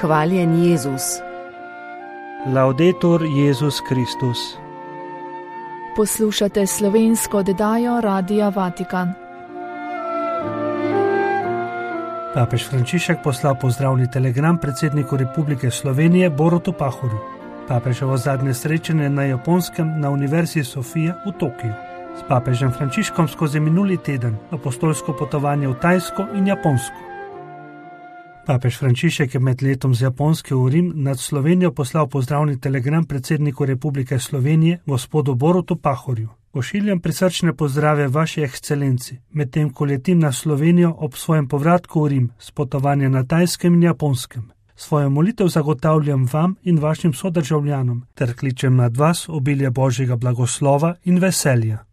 Hvaljen Jezus. Laudetur Jezus Kristus. Poslušate slovensko oddajo Radia Vatikan. Papež Frančišek poslal pozdravni telegram predsedniku Republike Slovenije Borutu Pahorju. Papeževo zadnje srečanje na Japonskem na Univerzi Sofija v Tokiju. S papežem Frančiškom skozi minuli teden apostolsko potovanje v Tajsko in Japonsko. Papež Frančišek je med letom z Japonske v Rim nad Slovenijo poslal pozdravni telegram predsedniku Republike Slovenije gospodu Borutu Pahorju. Pošiljam prisrčne pozdrave vaši ekscelenci, medtem ko letim na Slovenijo ob svojem povratku v Rim s potovanja na Tajskem in Japonskem. Svojo molitev zagotavljam vam in vašim sodržavljanom, ter kličem nad vas obilje Božjega blagoslova in veselja.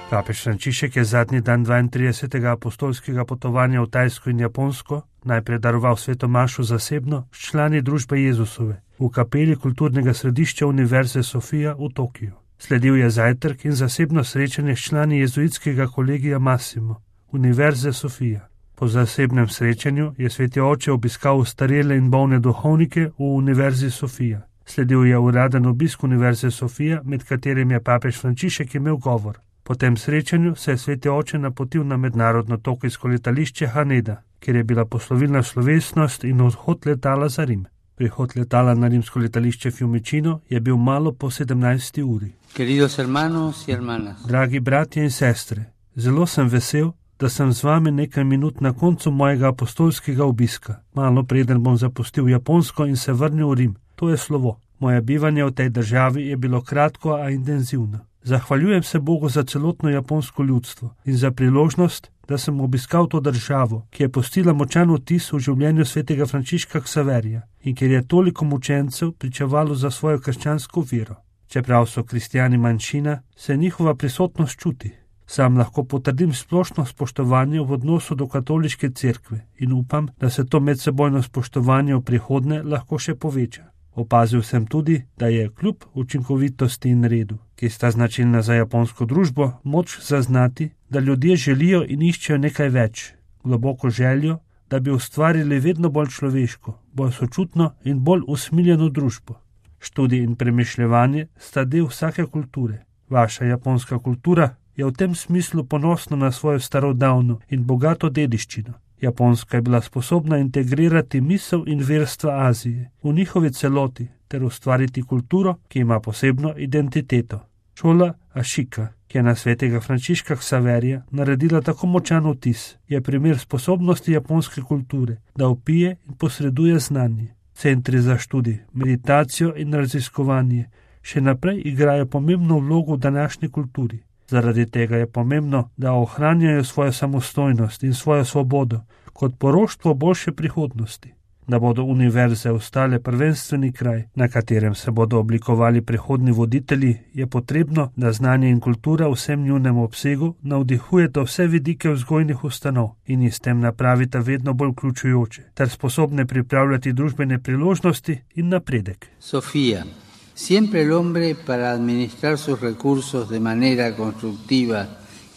Papež Frančišek je zadnji dan 32. apostolskega potovanja v Tajsko in Japonsko najprej daroval sveto mašo zasebno s člani družbe Jezusove v kapeli kulturnega središča Univerze Sofija v Tokiju. Sledil je zajtrk in zasebno srečanje s člani jezuitskega kolegija Massimo, Univerze Sofija. Po zasebnem srečanju je sveti oče obiskal starele in bolne duhovnike v Univerzi Sofija. Sledil je uraden obisk Univerze Sofija, med katerim je papež Frančišek imel govor. Po tem srečanju se je sveti oče napotil na mednarodno tokijsko letališče Haneda, kjer je bila poslovilna slovesnost in odhod letala za Rim. Prihod letala na rimsko letališče Fiumicino je bil malo po 17. uri. Dragi bratje in sestre, zelo sem vesel, da sem z vami nekaj minut na koncu mojega apostolskega obiska. Malo preden bom zapustil Japonsko in se vrnil v Rim. To je slovo. Moje bivanje v tej državi je bilo kratko, a intenzivno. Zahvaljujem se Bogu za celotno japonsko ljudstvo in za priložnost, da sem obiskal to državo, ki je pustila močan vtis v življenju svetega Frančiška Ksaverija in kjer je toliko mučencev pričevalo za svojo krščansko vero. Čeprav so kristjani manjšina, se njihova prisotnost čuti. Sam lahko potrdim splošno spoštovanje v odnosu do katoliške cerkve in upam, da se to medsebojno spoštovanje v prihodnje lahko še poveča. Opazil sem tudi, da je kljub učinkovitosti in redu, ki sta značilna za japonsko družbo, moč zaznati, da ljudje želijo in iščejo nekaj več, globoko željo, da bi ustvarili vedno bolj človeško, bolj sočutno in bolj usmiljeno družbo. Študij in premišljevanje sta del vsake kulture. Vaša japonska kultura je v tem smislu ponosna na svojo starodavno in bogato dediščino. Japonska je bila sposobna integrirati misel in verstva Azije v njihovi celoti ter ustvariti kulturo, ki ima posebno identiteto. Šola Ashika, ki je na svetega Frančiška Ksaverija naredila tako močan vtis, je primer sposobnosti japonske kulture, da vpije in posreduje znanje. Centri za študij, meditacijo in raziskovanje še naprej igrajo pomembno vlogo v današnji kulturi. Zaradi tega je pomembno, da ohranjajo svojo samostojnost in svojo svobodo kot poroštvo boljše prihodnosti. Da bodo univerze ostale prvenstveni kraj, na katerem se bodo oblikovali prihodni voditelji, je potrebno, da znanje in kultura v vsem njunem obsegu navdihujeta vse vidike vzgojnih ustanov in jih s tem napravita vedno bolj vključujoče, ter sposobne pripravljati družbene priložnosti in napredek. Sofija. Siempre el hombre, para administrar sus recursos de manera constructiva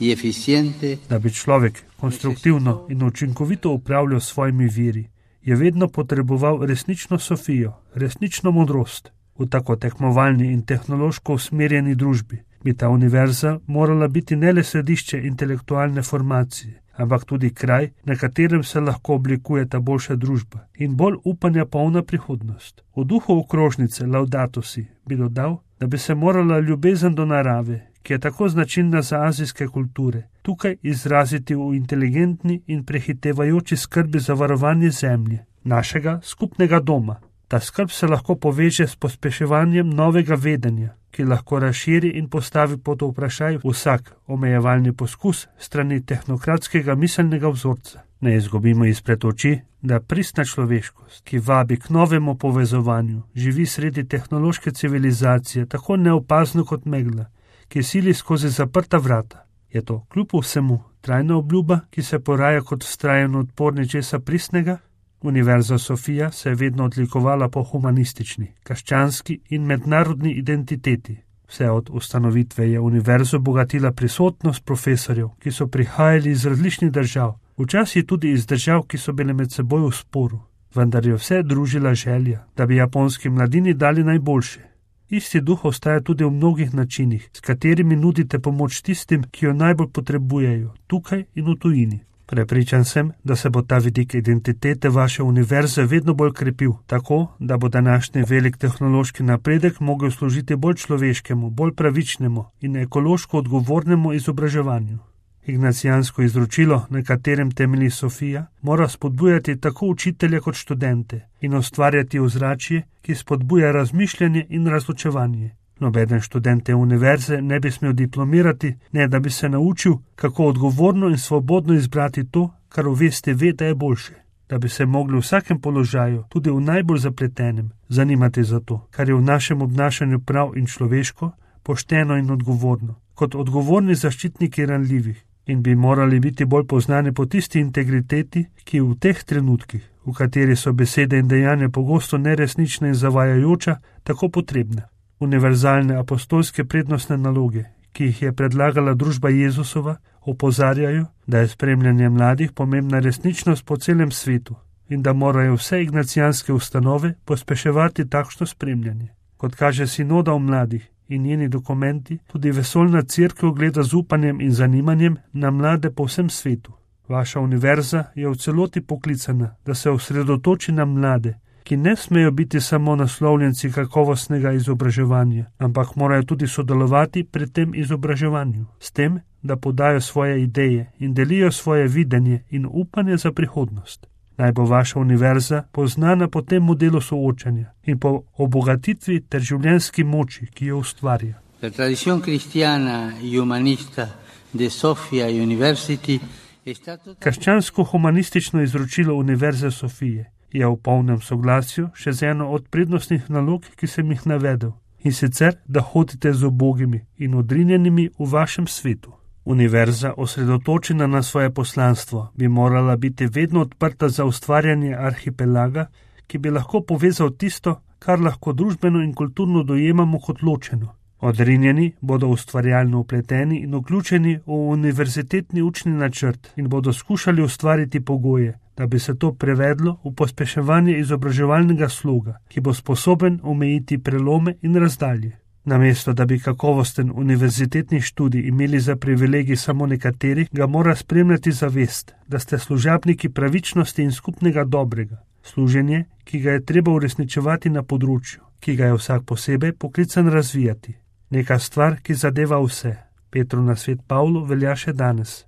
y eficiente, da bi človek konstruktivno in učinkovito upravljal svojimi viri, je vedno potreboval resnično Sofijo, resnično modrost. V tako tekmovalni in tehnološko usmerjeni družbi bi ta univerza morala biti ne le središče intelektualne formacije, ampak tudi kraj, na katerem se lahko oblikuje ta boljša družba in bolj upanja polna prihodnost. V duhu okrožnice Laudato si bi dodal, da bi se morala ljubezen do narave, ki je tako značilna za azijske kulture, tukaj izraziti v inteligentni in prehitevajoči skrbi za varovanje zemlje, našega skupnega doma. Ta skrb se lahko poveže s pospeševanjem novega vedenja, ki lahko razširi in postavi pod vprašaj vsak omejevalni poskus strani tehnokratskega miselnega vzorca. Ne izgubimo izpred oči, da pristna človeškost, ki vabi k novemu povezovanju, živi sredi tehnološke civilizacije tako neopazno kot megla, ki sili skozi zaprta vrata. Je to kljub vsemu trajna obljuba, ki se poraja kot vztrajen odpor nečesa pristnega? Univerza Sofija se je vedno odlikovala po humanistični, krščanski in mednarodni identiteti. Vse od ustanovitve je univerzo bogatila prisotnost profesorjev, ki so prihajali iz različnih držav, včasih tudi iz držav, ki so bile med seboj v sporu. vendar je vse družila želja, da bi japonski mladini dali najboljše. Isti duh ostaja tudi v mnogih načinih, s katerimi nudite pomoč tistim, ki jo najbolj potrebujejo, tukaj in v tujini. Prepričan sem, da se bo ta vidik identitete vaše univerze vedno bolj krepil, tako, da bo današnji velik tehnološki napredek mogel služiti bolj človeškemu, bolj pravičnemu in ekološko odgovornemu izobraževanju. Ignacijansko izročilo, na katerem temelji Sofija, mora spodbujati tako učitelje kot študente in ustvarjati ozračje, ki spodbuja razmišljanje in razločevanje. Nobeden študent te univerze ne bi smel diplomirati, ne da bi se naučil, kako odgovorno in svobodno izbrati to, kar v vesti ve, da je boljše. Da bi se mogli v vsakem položaju, tudi v najbolj zapletenem, zanimati za to, kar je v našem obnašanju prav in človeško, pošteno in odgovorno, kot odgovorni zaščitniki ranljivih. In bi morali biti bolj poznani po tisti integriteti, ki v teh trenutkih, v kateri so besede in dejanja pogosto neresnične in zavajajoča, tako potrebne. Univerzalne apostolske prednostne naloge, ki jih je predlagala družba Jezusova, opozarjajo, da je spremljanje mladih pomembna resničnost po celem svetu in da morajo vse ignacijanske ustanove pospeševati takšno spremljanje. Kot kaže sinoda o mladih in njeni dokumenti, tudi vesoljna cerkev gleda z upanjem in zanimanjem na mlade po vsem svetu. Vaša univerza je v celoti poklicana, da se osredotoči na mlade, ki ne smejo biti samo naslovljenci kakovostnega izobraževanja, ampak morajo tudi sodelovati pri tem izobraževanju, s tem, da podajo svoje ideje in delijo svoje videnje in upanje za prihodnost. Naj bo vaša univerza poznana po tem modelu soočanja in po obogatitvi ter življenjski moči, ki jo ustvarja. La tradición cristiana y humanista de Sofia University está Krščansko-humanistično izročilo Univerze Sofije je v polnem soglasju še z eno od prednostnih nalog, ki sem jih navedel, in sicer, da hodite z ubogimi in odrinjenimi v vašem svetu. Univerza, osredotočena na svoje poslanstvo, bi morala biti vedno odprta za ustvarjanje arhipelaga, ki bi lahko povezal tisto, kar lahko družbeno in kulturno dojemamo kot ločeno. Odrinjeni bodo ustvarjalno upleteni in vključeni v univerzitetni učni načrt in bodo skušali ustvariti pogoje, da bi se to prevedlo v pospeševanje izobraževalnega sloga, ki bo sposoben omejiti prelome in razdalje. Namesto, da bi kakovosten univerzitetni študij imeli za privilegij samo nekateri, ga mora spremljati zavest, da ste služabniki pravičnosti in skupnega dobrega. Služenje, ki ga je treba uresničevati na področju, ki ga je vsak posebej poklican razvijati. Neka stvar, ki zadeva vse. Petru na svet Pavlu velja še danes.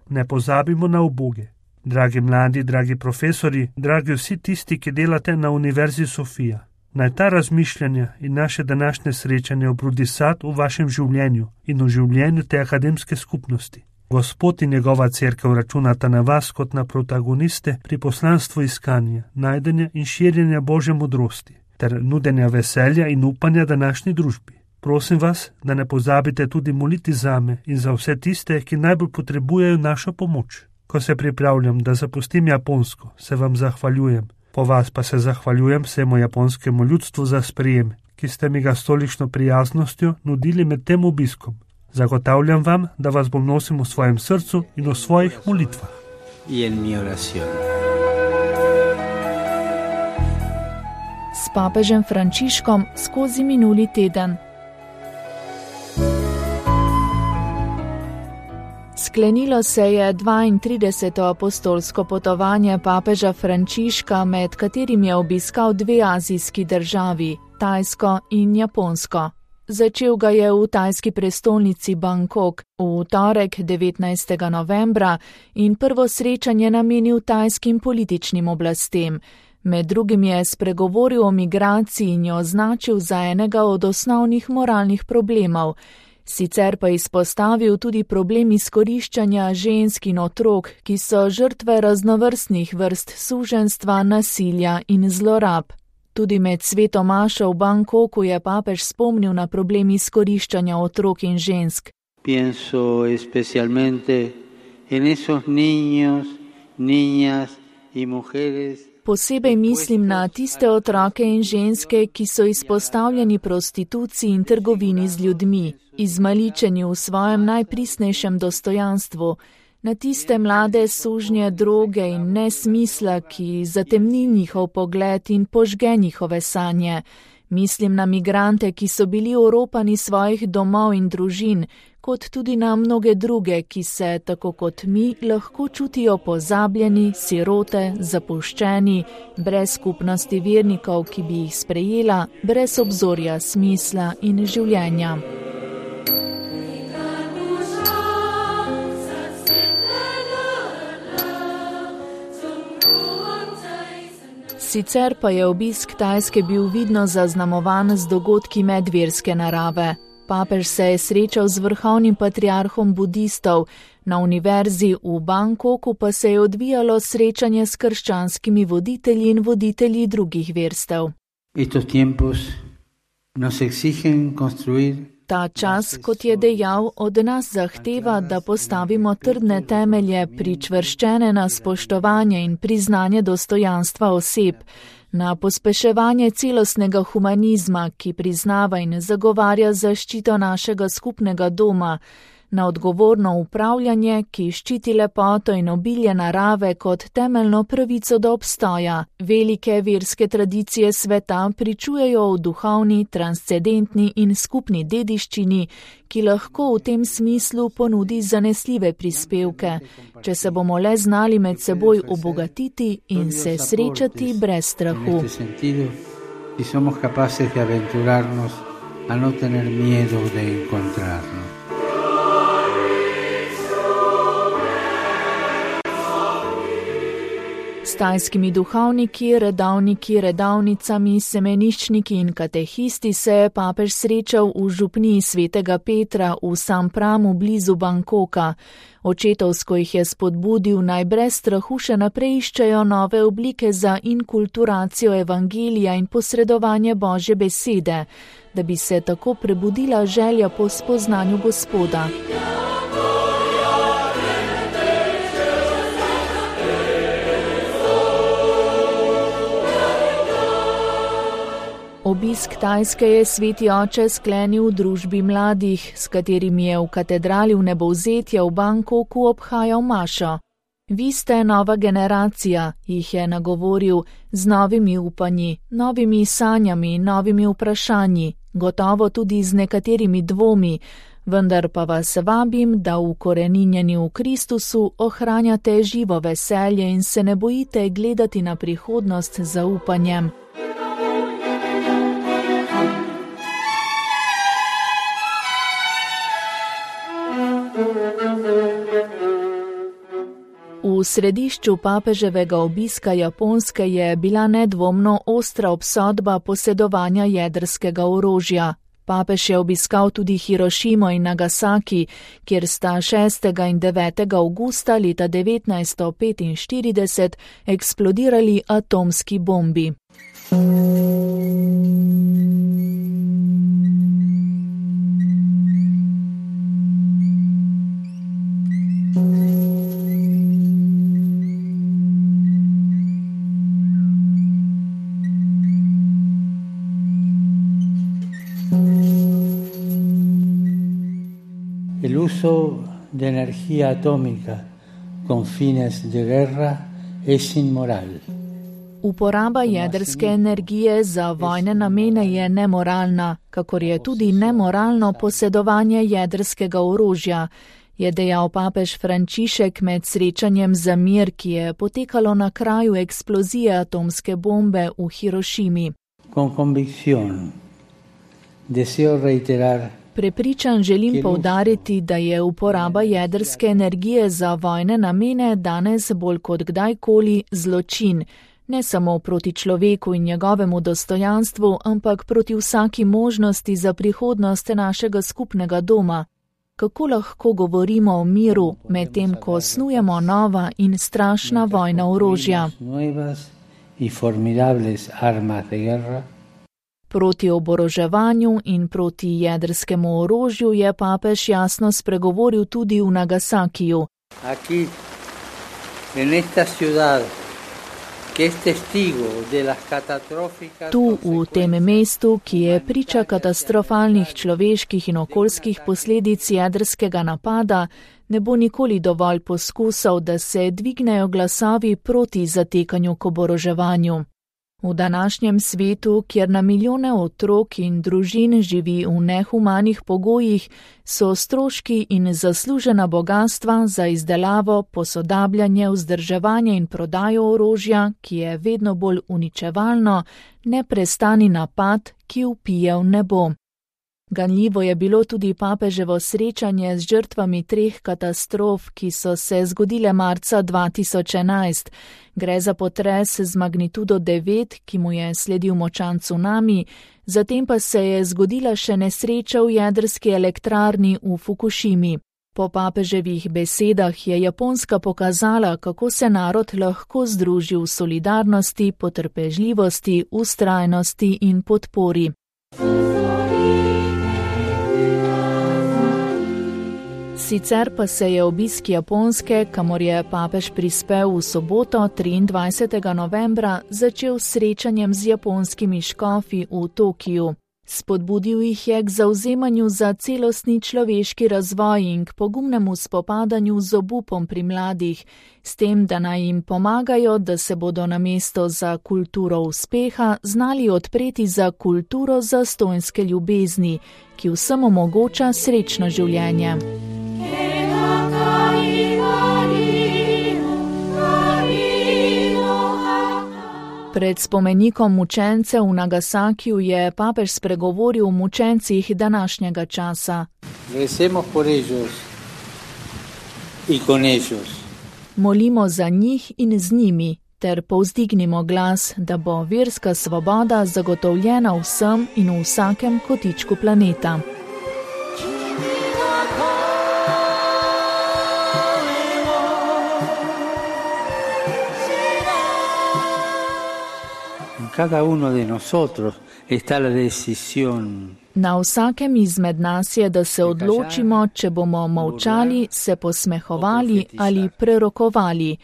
Ne pozabimo na uboge. Dragi mladi, dragi profesori, dragi vsi tisti, ki delate na Univerzi Sofija. Naj ta razmišljanja in naše današnje srečanje obrodi sad v vašem življenju in v življenju te akademske skupnosti. Gospod in njegova cerkev računata na vas kot na protagoniste pri poslanstvu iskanja, najdenja in širjenja Božje modrosti ter nudenja veselja in upanja današnji družbi. Prosim vas, da ne pozabite tudi moliti zame in za vse tiste, ki najbolj potrebujejo našo pomoč. Ko se pripravljam, da zapustim Japonsko, se vam zahvaljujem. Po vas pa se zahvaljujem vsemu japonskemu ljudstvu za sprejem, ki ste mi ga s tolikšno prijaznostjo nudili med tem obiskom. Zagotavljam vam, da vas bom nosil v svojem srcu in v svojih molitvah. S papežem Frančiškom skozi minuli teden. Sklenilo se je 32. apostolsko potovanje papeža Frančiška, med katerim je obiskal dve azijski državi, Tajsko in Japonsko. Začel ga je v tajski prestolnici Bangkok v torek 19. novembra in prvo srečanje namenil tajskim političnim oblastem. Med drugim je spregovoril o migraciji in jo označil za enega od osnovnih moralnih problemov. Sicer pa izpostavil tudi problem izkoriščanja žensk in otrok, ki so žrtve raznovrstnih vrst suženjstva, nasilja in zlorab. Tudi med sveto mašo v Bangkoku je papež spomnil na problem izkoriščanja otrok in žensk. Pienso especialmente en esos niños, niñas y mujeres. Posebej mislim na tiste otroke in ženske, ki so izpostavljeni prostituciji in trgovini z ljudmi, izmaličeni v svojem najpristnejšem dostojanstvu, Na tiste mlade sužnje droge in nesmisla, ki zatemni njihov pogled in požge njihove sanje. Mislim na migrante, ki so bili oropani svojih domov in družin, kot tudi na mnoge druge, ki se, tako kot mi, lahko čutijo pozabljeni, sirote, zapuščeni, brez skupnosti vernikov, ki bi jih sprejela, brez obzorja smisla in življenja. Sicer pa je obisk Tajske bil vidno zaznamovan z dogodki medverske narave. Papež se je srečal z vrhovnim patriarhom budistov, na univerzi v Bangkoku pa se je odvijalo srečanje s krščanskimi voditelji in voditelji drugih verstev. Ta čas, kot je dejal, od nas zahteva, da postavimo trdne temelje, pričvrščene na spoštovanje in priznanje dostojanstva oseb, na pospeševanje celostnega humanizma, ki priznava in zagovarja zaščito našega skupnega doma, na odgovorno upravljanje, ki ščiti lepoto in obilje narave kot temeljno pravico do obstoja. Velike verske tradicije sveta pričujejo o duhovni, transcendentni in skupni dediščini, ki lahko v tem smislu ponudi zanesljive prispevke, če se bomo le znali med seboj obogatiti in se srečati brez strahu. S tajskimi duhovniki, redavniki, redavnicami, semeniščniki in katehisti se je papež srečal v župniji svetega Petra v Sampramu blizu Bangkoka. Očetovsko jih je spodbudil, naj brez strahu še naprej iščejo nove oblike za inkulturacijo evangelija in posredovanje Božje besede, da bi se tako prebudila želja po spoznanju Gospoda. Obisk Tajske je sveti oče sklenil v družbi mladih, s katerimi je v katedrali Vnebovzetja v Bangkoku obhajal mašo. Vi ste nova generacija, jih je nagovoril, z novimi upanji, novimi sanjami, novimi vprašanji, gotovo tudi z nekaterimi dvomi, vendar pa vas vabim, da ukoreninjeni v Kristusu ohranjate živo veselje in se ne bojite gledati na prihodnost z zaupanjem. V središču papeževega obiska Japonske je bila nedvomno ostra obsodba posedovanja jedrskega orožja. Papež je obiskal tudi Hirošimo in Nagasaki, kjer sta 6. in 9. avgusta leta 1945 eksplodirali atomski bombi. El uso de energía atómica con fines de guerra es inmoral. Uporaba jedrske energije za vojne namene je nemoralna, kakor je tudi nemoralno posedovanje jedrskega orožja, je dejal papež Frančišek med srečanjem za mir, ki je potekalo na kraju eksplozije atomske bombe v Hirošimi. Con convicción deseo reiterar. Prepričan želim poudariti, da je uporaba jedrske energije za vojne namene danes bolj kot kdajkoli zločin, ne samo proti človeku in njegovemu dostojanstvu, ampak proti vsaki možnosti za prihodnost našega skupnega doma. Kako lahko govorimo o miru, medtem ko snujemo nova in strašna vojna orožja? Proti oboroževanju in proti jedrskemu orožju je papež jasno spregovoril tudi v Nagasakiju. Tu, v tem mestu, ki je priča katastrofalnih človeških in okoljskih posledic jedrskega napada, Ne bo nikoli dovolj poskusov, da se dvignejo glasovi proti zatekanju k oboroževanju. V današnjem svetu, kjer na milijone otrok in družin živi v nehumanih pogojih, so stroški in zaslužena bogastva za izdelavo, posodabljanje, vzdrževanje in prodajo orožja, ki je vedno bolj uničevalno, neprestani napad, ki vpije v nebo. Ganljivo je bilo tudi papeževo srečanje z žrtvami 3 katastrof, ki so se zgodile marca 2011. Gre za potres z magnitudo 9, ki mu je sledil močan cunami, zatem pa se je zgodila še nesreča v jedrski elektrarni v Fukušimi. Po papeževih besedah je Japonska pokazala, kako se narod lahko združi v solidarnosti, potrpežljivosti, vztrajnosti in podpori. Sicer pa se je obisk Japonske, kamor je papež prispel v soboto 23. novembra, začel s srečanjem z japonskimi škofi v Tokiju. Spodbudil jih je k zavzemanju za celostni človeški razvoj in k pogumnemu spopadanju z obupom pri mladih, s tem, da naj jim pomagajo, da se bodo namesto za kulturo uspeha znali odpreti za kulturo zastonjske ljubezni, ki vsem omogoča srečno življenje. Pred spomenikom mučencev v Nagasakiju je papež spregovoril o mučencih današnjega časa. Molimo za njih in z njimi, ter povzdignimo glas, da bo verska svoboda zagotovljena vsem in v vsakem kotičku planeta. Cada uno de nosotros está la decisión. Na vsakem izmed nas je, da se odločimo, če bomo molčali, se posmehovali ali prerokovali,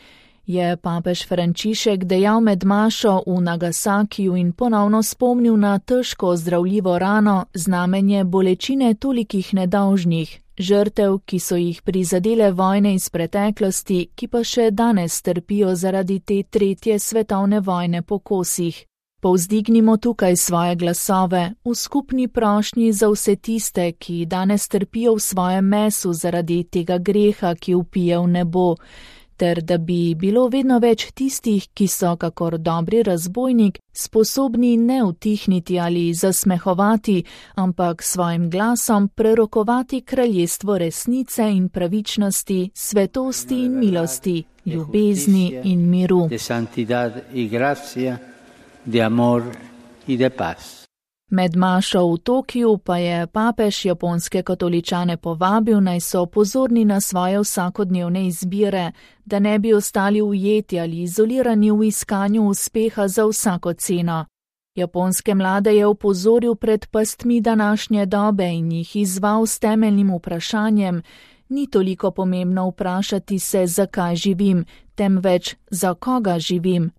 je papež Frančišek dejal med mašo v Nagasakiju in ponovno spomnil na težko ozdravljivo rano, znamenje bolečine tolikih nedolžnih, žrtev, ki so jih prizadele vojne iz preteklosti, ki pa še danes trpijo zaradi te 3. svetovne vojne po kosih. Povzdignimo tukaj svoje glasove v skupni prošnji za vse tiste, ki danes trpijo v svojem mesu zaradi tega greha, ki vpije v nebo, ter da bi bilo vedno več tistih, ki so, kakor dobri razbojnik, sposobni ne utihniti ali zasmehovati, ampak svojim glasom prerokovati kraljestvo resnice in pravičnosti, svetosti in milosti, ljubezni in miru. De amor y de paz. Med mašo v Tokiju pa je papež japonske katoličane povabil, naj so pozorni na svoje vsakodnevne izbire, da ne bi ostali ujeti ali izolirani v iskanju uspeha za vsako ceno. Japonske mlade je opozoril pred pastmi današnje dobe in jih izzval s temeljnim vprašanjem: ni toliko pomembno vprašati se, zakaj živim, temveč za koga živim.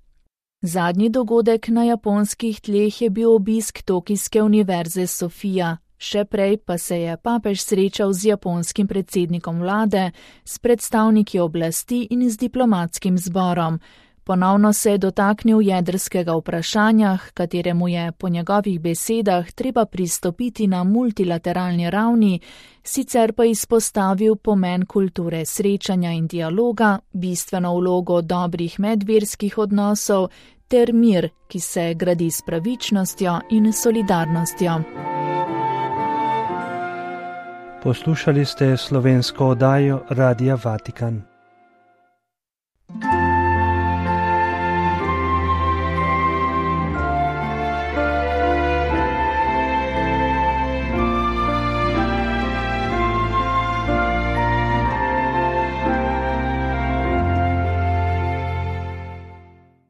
Zadnji dogodek na japonskih tleh je bil obisk Tokijske univerze Sofija. Še prej pa se je papež srečal z japonskim predsednikom vlade, s predstavniki oblasti in z diplomatskim zborom. Ponovno se je dotaknil jedrskega vprašanja, kateremu je po njegovih besedah treba pristopiti na multilateralni ravni, sicer pa izpostavil pomen kulture srečanja in dialoga, bistveno vlogo dobrih medverskih odnosov ter mir, ki se gradi s pravičnostjo in solidarnostjo. Poslušali ste slovensko oddajo Radia Vatikan.